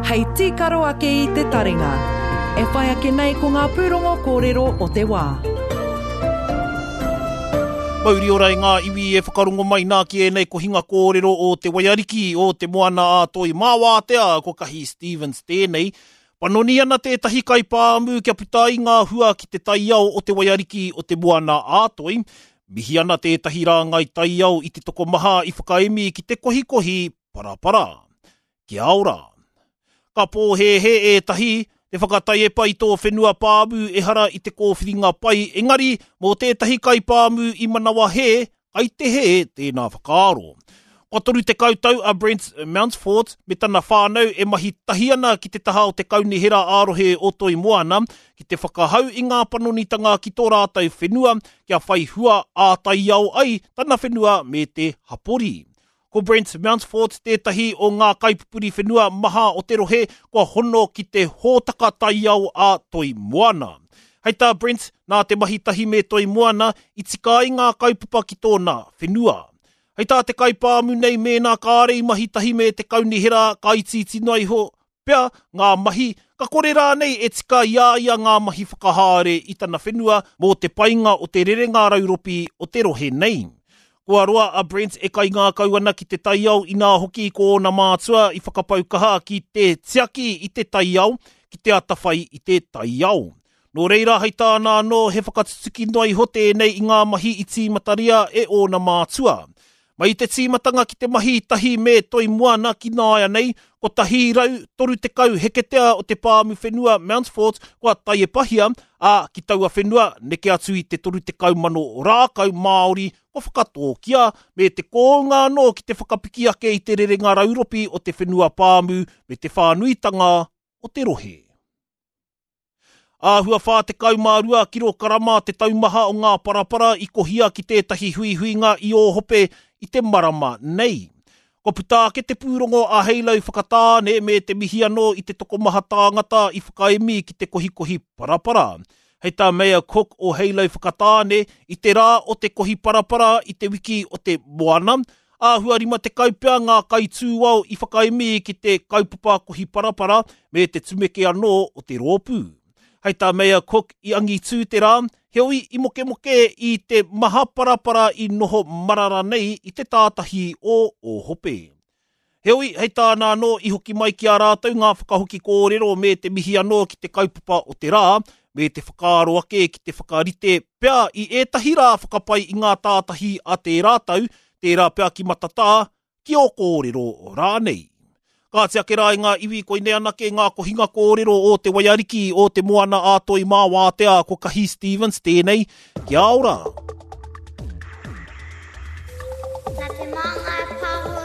Hei tīkaro ake i te taringa. E whai ake nei ko ngā pūrongo kōrero o te wā. Mauri ora i ngā iwi e whakarongo mai nā ki ēnei kohinga kōrero o Te Waiariki, o Te Moana a Toi Mā Wātea, ko Kahi Stevens tēnei. Panoni ana tētahi kaipāmu kia puta ai ngā hua ki te taiao o Te Waiariki o Te Moana a Toi. Mihi ana tētahi rāngai taiao i te tokomaha i whakaemi ki te kohikohi parapara. Kia ora. Ka pōhēhē ētahi, te whakataiepa i tō whenua pāmu ehara i te kōwhiringa pai, engari mō tētahi kaipāmu i manawa hē, kai te hē tēnā whakaaro. Kua 30 tau a Brent Mountfort me tana whānau e mahi tahi ana ki te taha o te Kaunihera ā-Rohe o Toi Moana ki te whakahau i ngā panonitanga ki tō rātou whenua kia whai hua ā-taiao ai tana whenua me te hapori. Ko Brent Mountfort tētahi o ngā kaipupuri whenua maha o te rohe kua hono ki te hōtaka taiao a Toi Moana. Hei tā Brent, nā te mahi tahi me Toi Moana i tika ai ngā kaupapa ki tōna whenua. Hei tā te kaipāmu nei mēnā kāre i mahi tahi me te kaunihera ka itiiti noa iho pea ngā mahi, ka kore rānei e tika i a ia ngā mahi whakahaere i tana whenua mō te painga o te rerenga rauropi o te rohe nei. Kua roa a Brent e kaingākau ana ki te taiao inā hoki ko ōna mātua i whakapau kaha ki te tiaki i te taiao, ki te atawhai i te taiao. Nō reira hei tāna anō he whakatutuki noa iho tēnei i ngā mahi i tīmataria e ōna mātua. Mai i te tīmatanga ki te mahi tahi me Toi Moana ki nāianei, 130 heketea o te pāmu whenua Mountfort kua taiepahia, ā, ki taua whenua, neke atu i te 30,000 rākau Māori kua whakatōkia, me te kounga anō ki te whakapiki ake i te rerenga rauropi o te whenua pāmu me te whānuitanga o te rohe. Āhua 42 kirokarama te taumaha o ngā parapara i kohia ki tētahi huihuinga i Ōhope i te marama nei. Kua puta ake te pūrongo a Heilau Whakatāne me te mihi anō i te tokomaha tāngata i whakaemi ki te kohikohi parapara. Hei tā Mayor Cook o Heilau Whakatāne, i te rā o te kohi parapara i te wiki o te moana, Āhua 50 pea ngā kaitūao i whakaemi ki te kaupapa kohi parapara me te tumeke anō o te rōpū. Hei tā Mayor Cook i angitū te rā, heoi i mokemoke i te maha parapara i noho marara nei i te tātahi o Ōhope. Heoi, hei tāna anō i hoki mai ki a rātou ngā whakahoki kōrero me te mihi anō ki te kaupapa o te rā, me te whakaaro ake ki te whakarite pea i ētahi rā whakapai i ngā tātahi a tērā tau, tērā pea ki Matatā, ki Ōkōrero rānei. Kāti ake rā i ngā iwi koinei anake ngā kohinga kōrero o Te Waiariki, o Te Moana a Toi mā Wātea, ko Kahi Stevens tēnei, kia ora! Nā Te Māngai Pāho.